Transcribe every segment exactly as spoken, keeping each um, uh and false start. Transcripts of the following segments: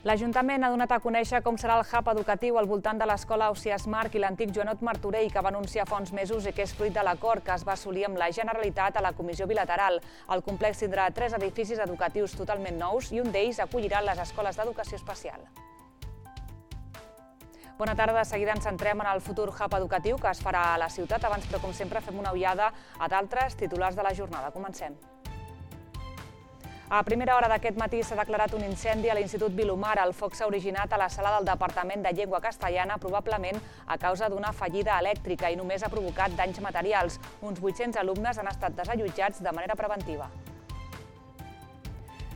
L'Ajuntament ha donat a conèixer com serà el hub educatiu al voltant de l'escola Ausiàs Marc i l'antic Joanot Martorell, que va anunciar fa uns mesos i que és fruit de l'acord que es va assolir amb la Generalitat a la Comissió Bilateral. El complex tindrà tres edificis educatius totalment nous i un d'ells acollirà les escoles d'educació especial. Bona tarda, de seguida ens centrem en el futur hub educatiu que es farà a la ciutat. Abans, però, com sempre, fem una ullada a d'altres titulars de la jornada. Comencem. A primera hora d'aquest matí s'ha declarat un incendi a l'Institut Vilomar. El foc s'ha originat a la sala del Departament de Llengua Castellana, probablement a causa d'una fallida elèctrica, i només ha provocat danys materials. Uns vuit-cents alumnes han estat desallotjats de manera preventiva.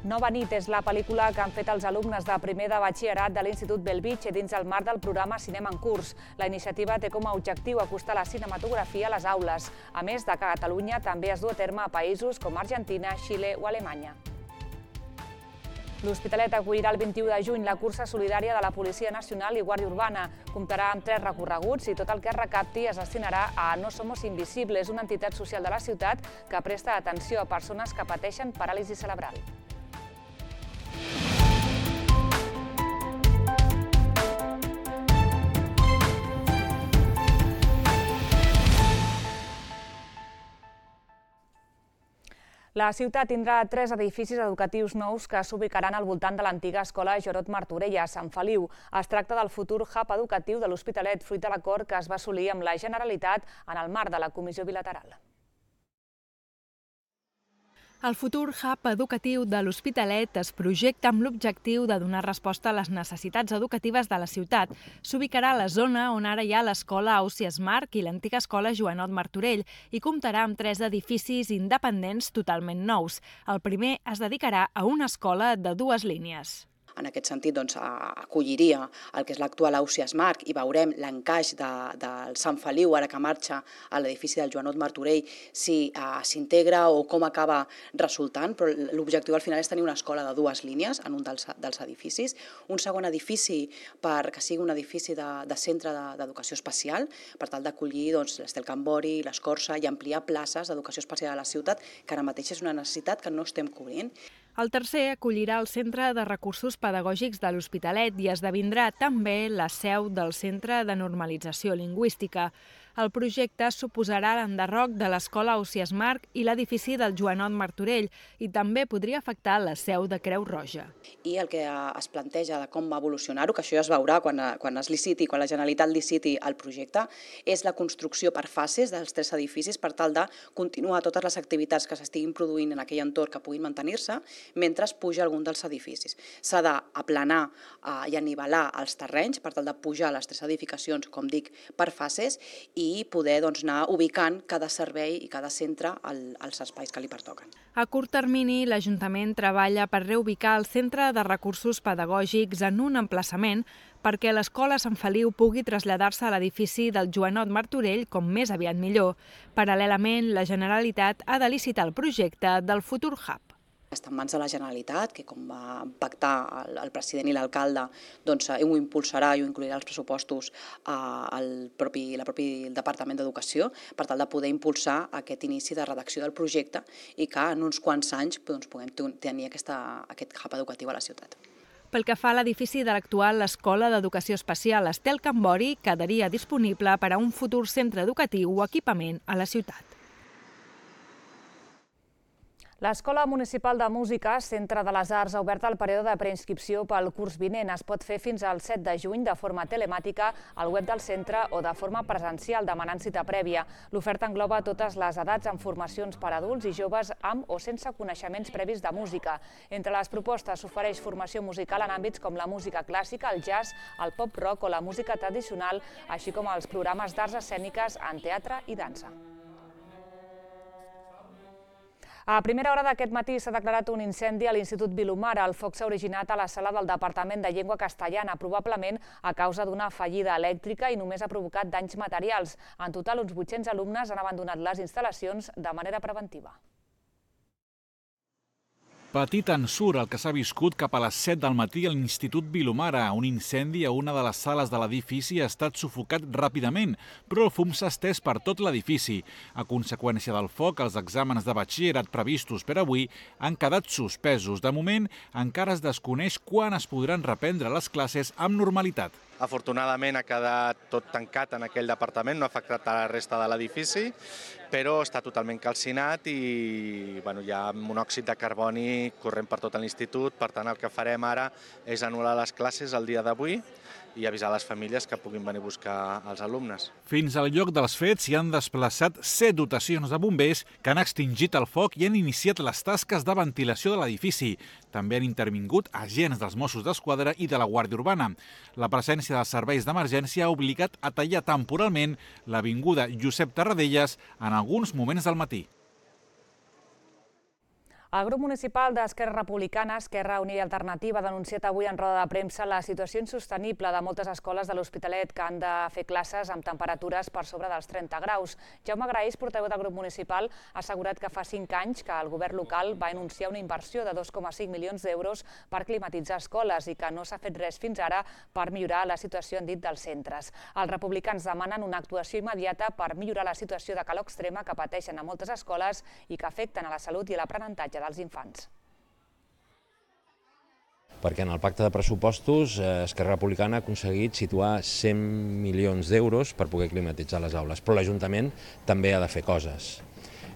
Nova nit és la pel·lícula que han fet els alumnes de primer de batxillerat de l'Institut Bellvitge dins el marc del programa Cinema en Curs. La iniciativa té com a objectiu acostar la cinematografia a les aules. A més de que a Catalunya també es du a terme a països com Argentina, Xile o Alemanya. L'Hospitalet acollirà el vint-i-u de juny la cursa solidària de la Policia Nacional i Guàrdia Urbana. Comptarà amb tres recorreguts i tot el que es recapti es destinarà a No Somos Invisibles, una entitat social de la ciutat que presta atenció a persones que pateixen paràlisi cerebral. La ciutat tindrà tres edificis educatius nous que s'ubicaran al voltant de l'antiga escola Joanot Martorell a Sant Feliu. Es tracta del futur hub educatiu de l'Hospitalet, fruit de l'acord que es va assolir amb la Generalitat en el marc de la Comissió Bilateral. El futur hub educatiu de l'Hospitalet es projecta amb l'objectiu de donar resposta a les necessitats educatives de la ciutat. S'ubicarà a la zona on ara hi ha l'escola Ausiàs Marc i l'antiga escola Joanot Martorell i comptarà amb tres edificis independents totalment nous. El primer es dedicarà a una escola de dues línies. En aquest sentit, doncs, acolliria el que és l'actual Ausiàs Marc i veurem l'encaix de, del Sant Feliu, ara que marxa a l'edifici del Joanot Martorell, si uh, s'integra o com acaba resultant, però l'objectiu al final és tenir una escola de dues línies en un dels, dels edificis, un segon edifici per que sigui un edifici de, de centre d'educació especial, per tal d'acollir doncs, l'Estel Cambori, l'Escorça i ampliar places d'educació especial a la ciutat, que ara mateix és una necessitat que no estem cobrint. El tercer acollirà el Centre de Recursos Pedagògics de l'Hospitalet i esdevindrà també la seu del Centre de Normalització Lingüística. El projecte suposarà l'enderroc de l'escola Ausiàs Marc i l'edifici del Joanot Martorell i també podria afectar la seu de Creu Roja. I el que es planteja de com va evolucionar-ho, que això ja es veurà quan, quan es liciti, quan la Generalitat liciti el projecte, és la construcció per fases dels tres edificis per tal de continuar totes les activitats que s'estiguin produint en aquell entorn que puguin mantenir-se mentre es puja algun dels edificis. S'ha d'aplanar eh, i anivelar els terrenys per tal de pujar les tres edificacions, com dic, per fases i poder doncs, anar ubicant cada servei i cada centre als espais que li pertoquen. A curt termini, l'Ajuntament treballa per reubicar el Centre de Recursos Pedagògics en un emplaçament perquè l'escola Sant Feliu pugui traslladar-se a l'edifici del Joanot Martorell com més aviat millor. Paral·lelament, la Generalitat ha de licitar el projecte del futur hub. Està en mans de la Generalitat, que com va pactar el, el president i l'alcalde, doncs ho impulsarà i ho inclourà als pressupostos al propi, la propi Departament d'Educació per tal de poder impulsar aquest inici de redacció del projecte i que en uns quants anys doncs, puguem tenir aquesta, aquest hub educatiu a la ciutat. Pel que fa a l'edifici de l'actual Escola d'Educació Especial Estel Cambori, quedaria disponible per a un futur centre educatiu o equipament a la ciutat. L'Escola Municipal de Música, Centre de les Arts, ha obert el període de preinscripció pel curs vinent. Es pot fer fins al set de juny de forma telemàtica al web del centre o de forma presencial, demanant cita prèvia. L'oferta engloba totes les edats amb formacions per a adults i joves amb o sense coneixements previs de música. Entre les propostes s'ofereix formació musical en àmbits com la música clàssica, el jazz, el pop-rock o la música tradicional, així com els programes d'arts escèniques en teatre i dansa. A primera hora d'aquest matí s'ha declarat un incendi a l'Institut Vilomar. El foc s'ha originat a la sala del Departament de Llengua Castellana, probablement a causa d'una fallida elèctrica i només ha provocat danys materials. En total, uns vuit-cents alumnes han abandonat les instal·lacions de manera preventiva. Petit ensurt el que s'ha viscut cap a les set del matí a l'Institut Vilomara. Un incendi a una de les sales de l'edifici ha estat sufocat ràpidament, però el fum s'ha estès per tot l'edifici. A conseqüència del foc, els exàmens de batxillerat previstos per avui han quedat suspesos. De moment, encara es desconeix quan es podran reprendre les classes amb normalitat. Afortunadament ha quedat tot tancat en aquell departament, no ha afectat a la resta de l'edifici, però està totalment calcinat i bueno, hi ha monòxid de carboni corrent per tot l'institut. Per tant, el que farem ara és anul·lar les classes el dia d'avui i avisar les famílies que puguin venir a buscar els alumnes. Fins al lloc dels fets s'hi han desplaçat set dotacions de bombers que han extingit el foc i han iniciat les tasques de ventilació de l'edifici. També han intervingut agents dels Mossos d'Esquadra i de la Guàrdia Urbana. La presència dels serveis d'emergència ha obligat a tallar temporalment l'avinguda Josep Tarradellas en alguns moments del matí. El grup municipal d'Esquerra Republicana, Esquerra Unida i Alternativa, ha denunciat avui en roda de premsa la situació insostenible de moltes escoles de l'Hospitalet que han de fer classes amb temperatures per sobre dels trenta graus. Jaume Graís, portaveu del grup municipal, ha assegurat que fa cinc anys que el govern local va anunciar una inversió de dos coma cinc milions d'euros per climatitzar escoles i que no s'ha fet res fins ara per millorar la situació, han dit, dels centres. Els republicans demanen una actuació immediata per millorar la situació de calor extrema que pateixen a moltes escoles i que afecten a la salut i l'aprenentatge dels infants. Perquè en el pacte de pressupostos Esquerra Republicana ha aconseguit situar cent milions d'euros per poder climatitzar les aules, però l'Ajuntament també ha de fer coses.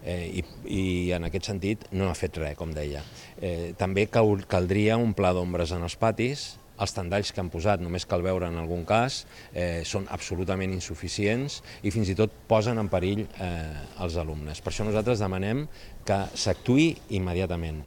Eh, i, i en aquest sentit no ha fet res, com deia. Eh, també cal, caldria un pla d'ombres en els patis. Els tendalls que han posat, només cal veure en algun cas, eh, són absolutament insuficients i fins i tot posen en perill eh, els alumnes. Per això nosaltres demanem que s'actuï immediatament.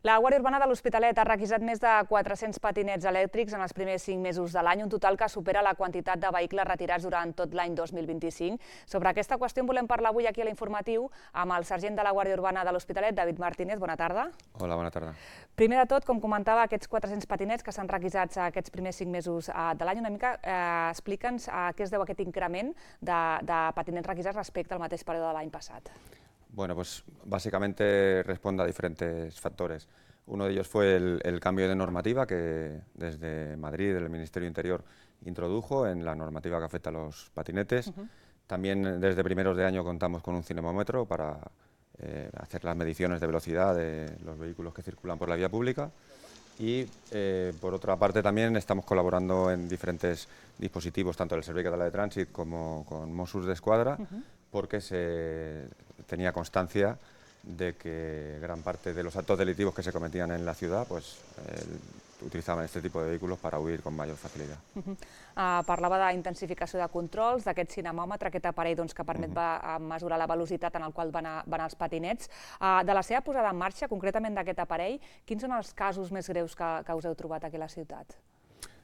La Guàrdia Urbana de l'Hospitalet ha requisat més de quatre-cents patinets elèctrics en els primers cinc mesos de l'any, un total que supera la quantitat de vehicles retirats durant tot l'any dos mil vint-i-cinc. Sobre aquesta qüestió en volem parlar avui aquí a l'informatiu amb el sergent de la Guàrdia Urbana de l'Hospitalet, David Martínez. Bona tarda. Hola, bona tarda. Primer de tot, com comentava, aquests quatre-cents patinets que s'han requisats aquests primers cinc mesos de l'any, una mica eh, explica'ns a què es deu aquest increment de, de patinets requisats respecte al mateix període de l'any passat. Bueno, pues básicamente responde a diferentes factores. Uno de ellos fue el, el cambio de normativa que desde Madrid, el Ministerio Interior, introdujo en la normativa que afecta a los patinetes. Uh-huh. También desde primeros de año contamos con un cinemómetro para eh, hacer las mediciones de velocidad de los vehículos que circulan por la vía pública. Y eh, por otra parte también estamos colaborando en diferentes dispositivos, tanto el Servei Català de Trànsit como con Mossos d'Esquadra, uh-huh. porque se tenía constancia de que gran parte de los actos delictivos que se cometían en la ciudad pues, eh, utilitzaven este tipo de vehículos para huir con mayor facilitat. Uh-huh. uh, parlava d'intensificació de controls, d'aquest cinemòmetre, aquest aparell doncs, que permet uh-huh. va, mesurar la velocitat en el qual van, a, van els patinets. Uh, de la seva posada en marxa, concretament d'aquest aparell, quins són els casos més greus que, que us heu trobat aquí a la ciutat?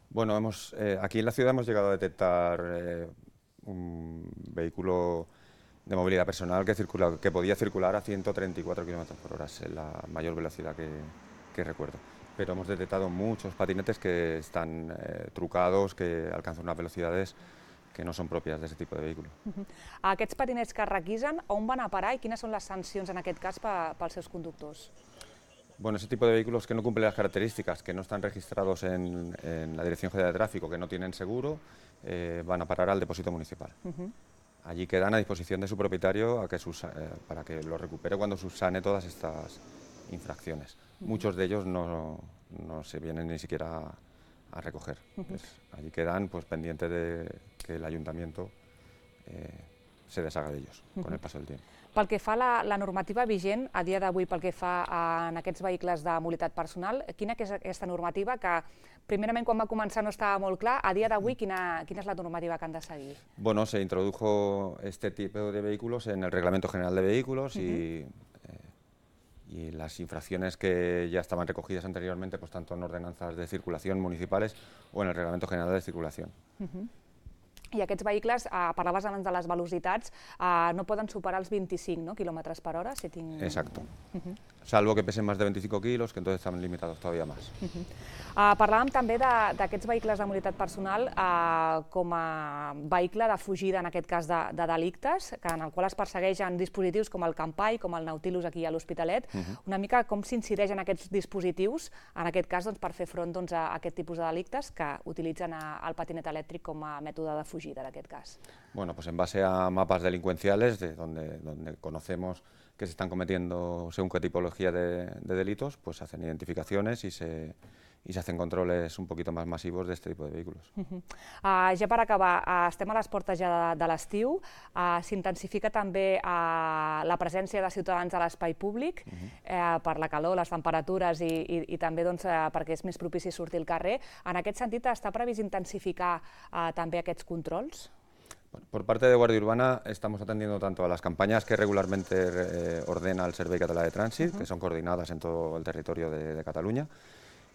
Bueno, hemos, eh, aquí en la ciudad hemos llegado a detectar eh, un vehículo de movilidad personal que, circula, que podía circular a ciento treinta y cuatro kilómetros por hora, es la mayor velocidad que, que recuerdo. Pero hemos detectado muchos patinetes que están eh, trucados, que alcanzan unas velocidades que no son propias de ese tipo de vehículos. Uh-huh. Aquests patinets que es requisen, on van a parar i quines són les sancions en aquest cas pels seus conductors? Bueno, ese tipo de vehículos que no cumplen las características, que no están registrados en, en la Dirección General de Tráfico, que no tienen seguro, eh, van a parar al depósito municipal. Uh-huh. Allí quedan a disposición de su propietario a que sus, eh, para que lo recupere cuando subsane todas estas infracciones. Uh-huh. Muchos de ellos no, no se vienen ni siquiera a, a recoger. Uh-huh. Pues, allí quedan pues, pendientes de que el ayuntamiento eh, se deshaga de ellos uh-huh. con el paso del tiempo. Pel que fa a la, la normativa vigent, a dia d'avui, pel que fa a, en aquests vehicles de mobilitat personal, quina és aquesta normativa que, primerament, quan va començar no estava molt clar, a dia d'avui, quina, quina és la normativa que han de seguir? Bueno, se introdujo este tipo de vehículos en el Reglamento General de Vehículos uh-huh. y, eh, y las infracciones que ya estaban recogidas anteriormente, pues tanto en ordenanzas de circulación municipales o en el Reglamento General de Circulación. Uh-huh. i aquests vehicles, parlaves abans de les velocitats, no poden superar els vint-i-cinc quilòmetres per hora, si tinc... Exacto. Salvo que pesen más de veinticinco kilos, que entonces están limitados todavía más. Parlàvem també d'aquests vehicles de mobilitat personal com a vehicle de fugida, en aquest cas, de delictes, en el qual es persegueixen dispositius com el Campai, com el Nautilus aquí a l'Hospitalet. Una mica com s'incideixen aquests dispositius, en aquest cas, per fer front a aquest tipus de delictes que utilitzen el patinet elèctric com a mètode de fugida, en aquest cas. Bueno, pues en base a mapas delincuenciales, de donde, donde conocemos que se están cometiendo según qué tipología de, de delitos, pues se hacen identificaciones y se, y se hacen controles un poquito más masivos de este tipo de vehículos. Uh-huh. uh, ja per acabar, uh, estem a les portes ja de, de l'estiu, uh, s'intensifica també uh, la presència de ciutadans a l'espai públic, uh-huh. uh, per la calor, les temperatures i, i, i també doncs, uh, perquè és més propici sortir al carrer. En aquest sentit, està previst intensificar uh, també aquests controls? Bueno, por parte de Guardia Urbana estamos atendiendo tanto a las campañas que regularmente eh, ordena el Servei Català de Trànsit, uh-huh. que son coordinadas en todo el territorio de, de Cataluña,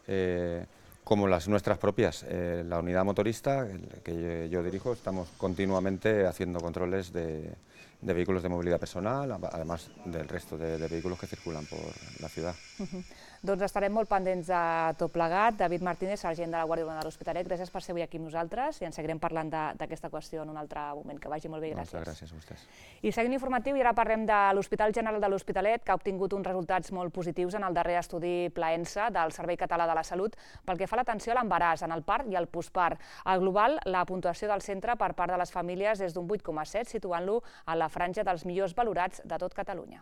eh, como las nuestras propias. Eh, la unidad motorista que yo, yo dirijo, estamos continuamente haciendo controles de, de vehículos de movilidad personal, además del resto de, de vehículos que circulan por la ciudad. Uh-huh. Doncs estarem molt pendents de tot plegat. David Martínez, sergent de la Guàrdia Urbana de l'Hospitalet, gràcies per ser avui aquí amb nosaltres i en seguirem parlant d'aquesta qüestió en un altre moment. Que vagi molt bé, gràcies. Moltes gràcies a vostès. I seguint informatiu, i ara parlem de l'Hospital General de l'Hospitalet, que ha obtingut uns resultats molt positius en el darrer estudi Plaensa del Servei Català de la Salut pel que fa a l'atenció a l'embaràs, en el part i el postpart. Al global, la puntuació del centre per part de les famílies és d'un vuit coma set, situant-lo a la franja dels millors valorats de tot Catalunya.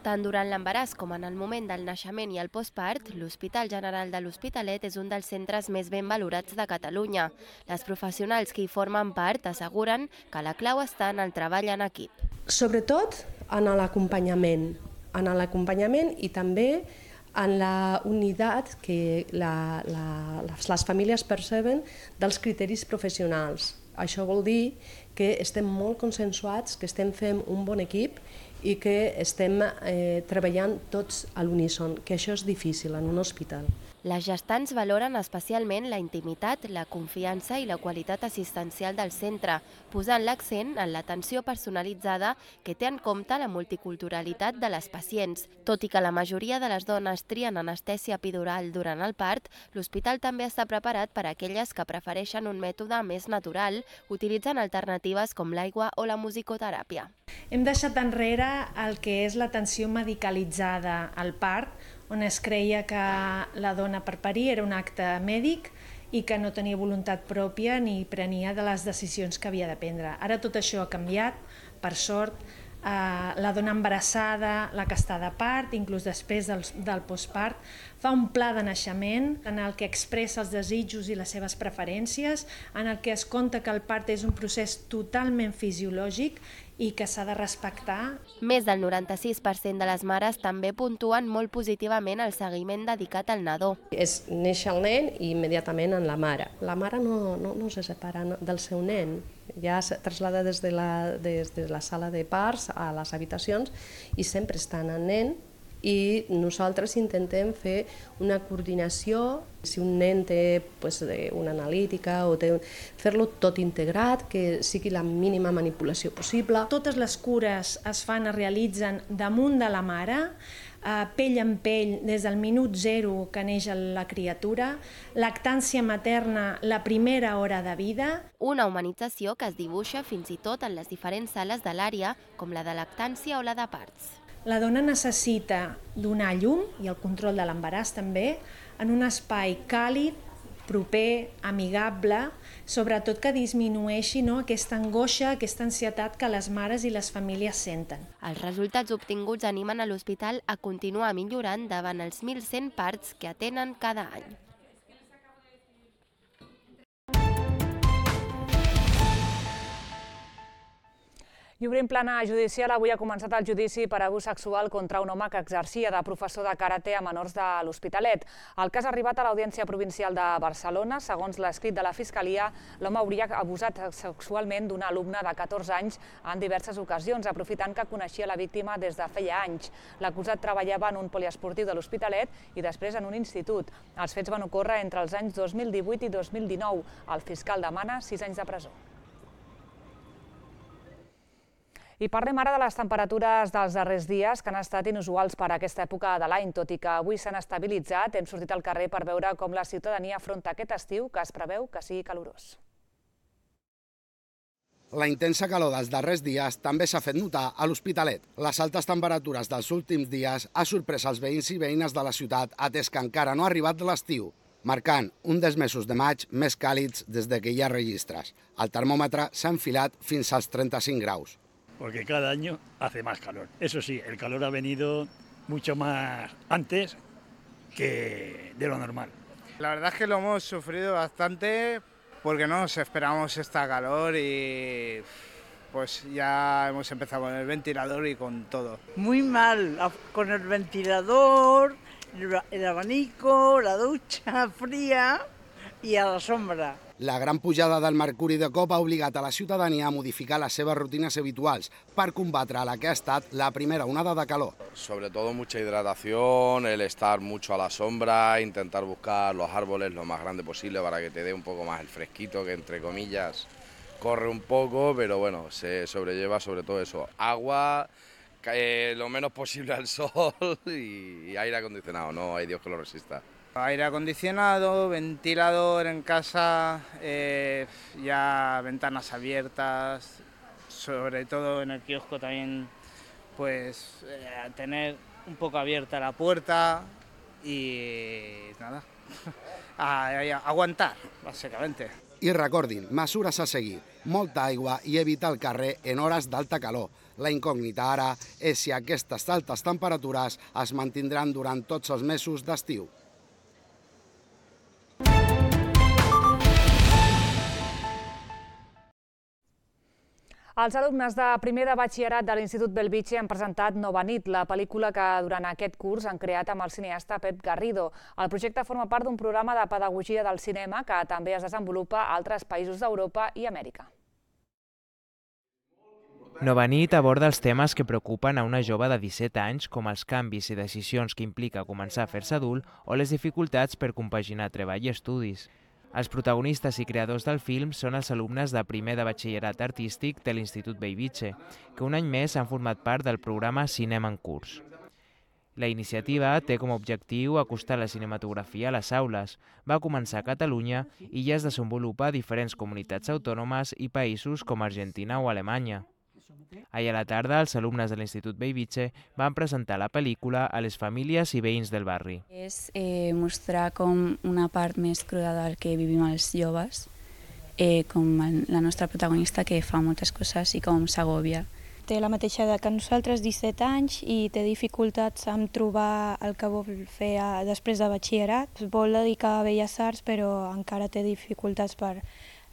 Tant durant l'embaràs com en el moment del naixement i el postpart, l'Hospital General de l'Hospitalet és un dels centres més ben valorats de Catalunya. Les professionals que hi formen part asseguren que la clau està en el treball en equip. Sobretot en l'acompanyament, en l'acompanyament i també en la unitat que la, la, les, les famílies perceben dels criteris professionals. Això vol dir que estem molt consensuats, que estem fent un bon equip i que estem eh, treballant tots a l'uníson, que això és difícil en un hospital. Les gestants valoren especialment la intimitat, la confiança i la qualitat assistencial del centre, posant l'accent en l'atenció personalitzada que té en compte la multiculturalitat de les pacients. Tot i que la majoria de les dones trien anestèsia epidural durant el part, l'hospital també està preparat per a aquelles que prefereixen un mètode més natural, utilitzant alternatives com l'aigua o la musicoteràpia. Hem deixat enrere el que és l'atenció medicalitzada al part, on es creia que la dona per parir era un acte mèdic i que no tenia voluntat pròpia ni prenia de les decisions que havia de prendre. Ara tot això ha canviat, per sort. La dona embarassada, la que està de part, inclús després del, del postpart, fa un pla de naixement en el que expressa els desitjos i les seves preferències, en el que es conta que el part és un procés totalment fisiològic i que s'ha de respectar. Més del noranta-sis per cent de les mares també puntuen molt positivament el seguiment dedicat al nadó. És néixer el nen i immediatament en la mare. La mare no, no, no se separa del seu nen, ja es trasllada des de, la, des de la sala de parts a les habitacions i sempre està en el nen i nosaltres intentem fer una coordinació. Si un nen té pues, una analítica o té, fer-lo tot integrat, que sigui la mínima manipulació possible. Totes les cures es fan, es realitzen damunt de la mare, eh, pell en pell des del minut zero que neix la criatura, lactància materna la primera hora de vida. Una humanització que es dibuixa fins i tot en les diferents sales de l'àrea, com la de lactància o la de parts. La dona necessita donar llum, i el control de l'embaràs també, en un espai càlid, proper, amigable, sobretot que disminueixi no, aquesta angoixa, aquesta ansietat que les mares i les famílies senten. Els resultats obtinguts animen a l'hospital a continuar millorant davant els mil cent parts que atenen cada any. I obrim plana judicial, avui ha començat el judici per abús sexual contra un home que exercia de professor de karate a menors de l'Hospitalet. El cas ha arribat a l'Audiència Provincial de Barcelona. Segons l'escrit de la Fiscalia, l'home hauria abusat sexualment d'un alumne de catorze anys en diverses ocasions, aprofitant que coneixia la víctima des de feia anys. L'acusat treballava en un poliesportiu de l'Hospitalet i després en un institut. Els fets van ocórrer entre els anys dos mil divuit i dos mil dinou. El fiscal demana sis anys de presó. I parlem ara de les temperatures dels darrers dies, que han estat inusuals per a aquesta època de l'any, tot i que avui s'han estabilitzat. Hem sortit al carrer per veure com la ciutadania afronta aquest estiu, que es preveu que sigui calorós. La intensa calor dels darrers dies també s'ha fet notar a l'Hospitalet. Les altes temperatures dels últims dies ha sorprès els veïns i veïnes de la ciutat, atès que encara no ha arribat l'estiu, marcant un dels mesos de maig més càlids des que hi ha registres. El termòmetre s'ha enfilat fins als trenta-cinc graus. Porque cada año hace más calor. Eso sí, el calor ha venido mucho más antes que de lo normal. La verdad es que lo hemos sufrido bastante porque no nos esperamos esta calor y pues ya hemos empezado con el ventilador y con todo. Muy mal, con el ventilador, el abanico, la ducha fría y a la sombra. La gran pujada del mercuri de cop ha obligat a la ciutadania a modificar les seves rutines habituals per combatre la que ha estat la primera onada de calor. Sobre todo mucha hidratación, el estar mucho a la sombra, intentar buscar los árboles lo más grande posible para que te dé un poco más el fresquito, que entre comillas corre un poco, pero bueno, se sobrelleva sobre todo eso. Agua, eh, lo menos posible al sol y, y aire acondicionado, no hay Dios que lo resista. Aire acondicionado, ventilador en casa, eh, ya ventanas abiertas, sobre todo en el kiosco también, pues eh, tener un poco abierta la puerta y nada, a, a, aguantar, básicamente. I recordin, mesures a seguir, molta aigua i evitar el carrer en hores d'alta calor. La incògnita ara és si aquestes altes temperatures es mantindran durant tots els mesos d'estiu. Els alumnes de primer de batxillerat de l'Institut Bellvitge han presentat Nova nit, la pel·lícula que durant aquest curs han creat amb el cineasta Pep Garrido. El projecte forma part d'un programa de pedagogia del cinema que també es desenvolupa a altres països d'Europa i Amèrica. Nova nit aborda els temes que preocupen a una jove de disset anys, com els canvis i decisions que implica començar a fer-se adult o les dificultats per compaginar treball i estudis. Els protagonistes i creadors del film són els alumnes de primer de batxillerat artístic de l'Institut Bellvitge, que un any més han format part del programa Cinema en Curs. La iniciativa té com a objectiu acostar la cinematografia a les aules. Va començar a Catalunya i ja es desenvolupa a diferents comunitats autònomes i països com Argentina o Alemanya. Ahir a la tarda, els alumnes de l'Institut Bellvitge van presentar la pel·lícula a les famílies i veïns del barri. És eh, mostrar com una part més cruda del que vivim els joves, eh, com la nostra protagonista que fa moltes coses i com s'agòbia. Té la mateixa edat que nosaltres, disset anys, i té dificultats en trobar el que vol fer després de batxillerat. Es vol dedicar a Belles Arts, però encara té dificultats per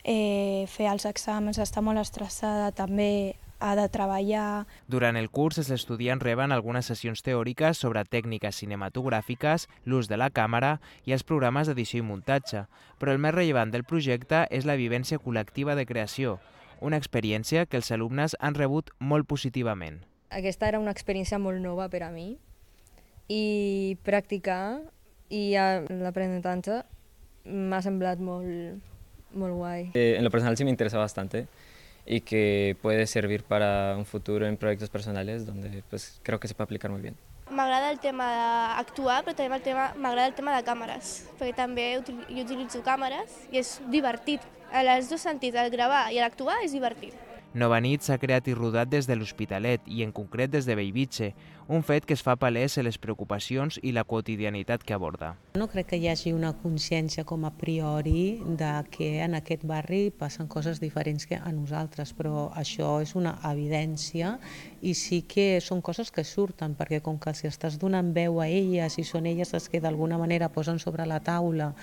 eh, fer els exàmens, està molt estressada, també ha de treballar. Durant el curs, els estudiants reben algunes sessions teòriques sobre tècniques cinematogràfiques, l'ús de la càmera i els programes d'edició i muntatge, però el més rellevant del projecte és la vivència col·lectiva de creació, una experiència que els alumnes han rebut molt positivament. Aquesta era una experiència molt nova per a mi i practicar i l'aprenentatge m'ha semblat molt, molt guai. Eh, en lo personal sí me interesa bastante y que puede servir para un futuro en proyectos personales donde pues, creo que se puede aplicar muy bien. M'agrada el tema d'actuar, però també el tema, m'agrada el tema de càmeres, perquè també util, jo utilitzo càmeres i és divertit. En els dos sentits, el gravar i l'actuar és divertit. Nova nit s'ha creat i rodat des de l'Hospitalet i en concret des de Bellvitge, un fet que es fa palès en les preocupacions i la quotidianitat que aborda. No crec que hi hagi una consciència com a priori de que en aquest barri passen coses diferents que a nosaltres, però això és una evidència i sí que són coses que surten, perquè com que si estàs donant veu a elles i són elles les que d'alguna manera posen sobre la taula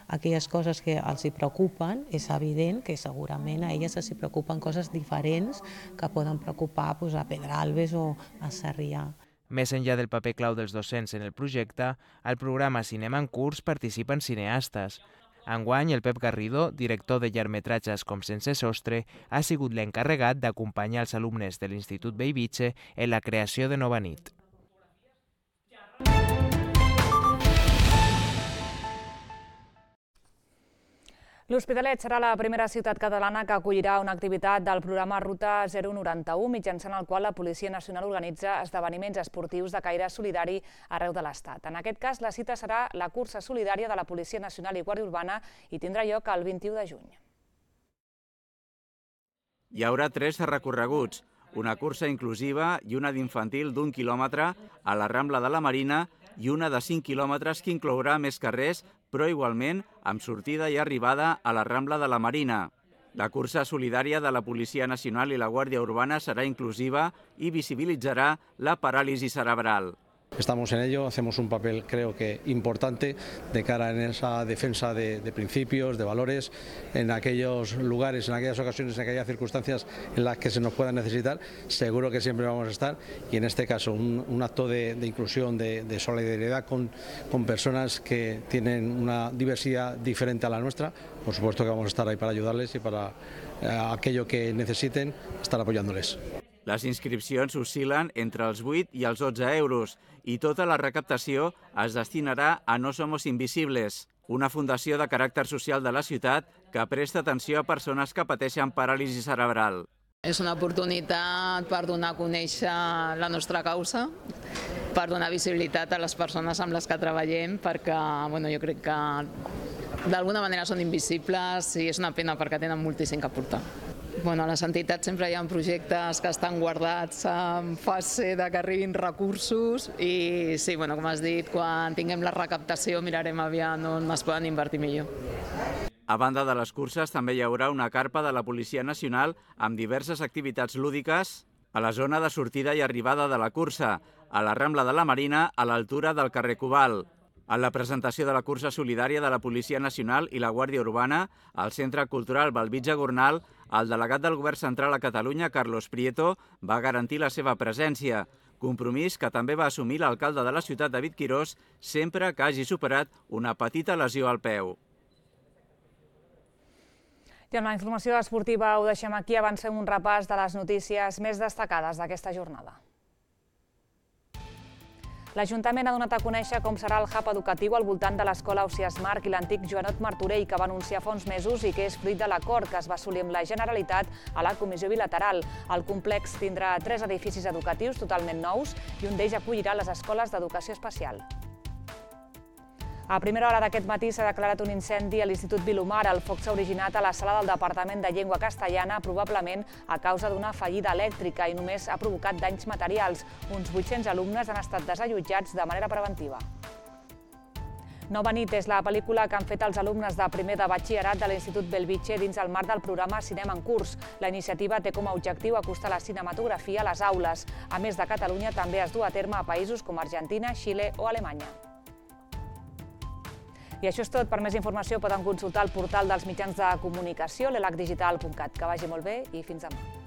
aquelles coses que els hi preocupen, és evident que segurament a elles els hi preocupen coses diferents diferents que poden preocupar doncs, a Pedralbes o a Sarrià. Més enllà del paper clau dels docents en el projecte, al programa Cinema en Curs participen cineastes. Enguany, el Pep Garrido, director de llargmetratges com Sense sostre, ha sigut l'encarregat d'acompanyar els alumnes de l'Institut Bellvitge en la creació de Nova nit. L'Hospitalet serà la primera ciutat catalana que acollirà una activitat del programa Ruta zero noranta u, mitjançant el qual la Policia Nacional organitza esdeveniments esportius de caire solidari arreu de l'Estat. En aquest cas, la cita serà la cursa solidària de la Policia Nacional i Guàrdia Urbana i tindrà lloc el vint-i-u de juny. Hi haurà tres recorreguts, una cursa inclusiva i una d'infantil d'un quilòmetre a la Rambla de la Marina i una de cinc quilòmetres que inclourà més carrers, però igualment amb sortida i arribada a la Rambla de la Marina. La cursa solidària de la Policia Nacional i la Guàrdia Urbana serà inclusiva i visibilitzarà la paràlisi cerebral. Estamos en ello, hacemos un papel creo que importante de cara en esa defensa de, de principios, de valores, en aquellos lugares, en aquellas ocasiones, en aquellas circunstancias en las que se nos pueda necesitar, seguro que siempre vamos a estar y en este caso un, un acto de, de inclusión, de, de solidaridad con, con personas que tienen una diversidad diferente a la nuestra, por supuesto que vamos a estar ahí para ayudarles y para eh, aquello que necesiten, estar apoyándoles. Les inscripcions oscil·len entre els vuit i els dotze euros i tota la recaptació es destinarà a No Somos Invisibles, una fundació de caràcter social de la ciutat que presta atenció a persones que pateixen paràlisi cerebral. És una oportunitat per donar a conèixer la nostra causa, per donar visibilitat a les persones amb les que treballem, perquè bueno, jo crec que d'alguna manera són invisibles i és una pena perquè tenen moltíssim que aportar. Bueno, a les entitats sempre hi ha projectes que estan guardats en fase de que arribin recursos i sí, bueno, com has dit, quan tinguem la recaptació mirarem aviam on es poden invertir millor. A banda de les curses, també hi haurà una carpa de la Policia Nacional amb diverses activitats lúdiques a la zona de sortida i arribada de la cursa, a la Rambla de la Marina, a l'altura del carrer Cobalt. En la presentació de la cursa solidària de la Policia Nacional i la Guàrdia Urbana, al Centre Cultural Bellvitge Gornal, el delegat del Govern Central a Catalunya, Carlos Prieto, va garantir la seva presència, compromís que també va assumir l'alcalde de la ciutat, David Quirós, sempre que hagi superat una petita lesió al peu. I amb la informació esportiva ho deixem aquí, avancem un repàs de les notícies més destacades d'aquesta jornada. L'Ajuntament ha donat a conèixer com serà el hub educatiu al voltant de l'escola Ausiàs Marc i l'antic Joanot Martorell, que va anunciar fa uns mesos i que és fruit de l'acord que es va assolir amb la Generalitat a la Comissió Bilateral. El complex tindrà tres edificis educatius totalment nous i un d'ells acollirà les escoles d'educació especial. A primera hora d'aquest matí s'ha declarat un incendi a l'Institut Vilomara. El foc s'ha originat a la sala del Departament de Llengua Castellana, probablement a causa d'una fallida elèctrica i només ha provocat danys materials. Uns vuit-cents alumnes han estat desallotjats de manera preventiva. Nova nit és la pel·lícula que han fet els alumnes de primer de batxillerat de l'Institut Bellvitge dins el marc del programa Cinema en Curs. La iniciativa té com a objectiu acostar la cinematografia a les aules. A més de Catalunya, també es du a terme a països com Argentina, Xile o Alemanya. I això és tot. Per més informació poden consultar el portal dels mitjans de comunicació, l'elac digital punt cat. Que vagi molt bé i fins demà.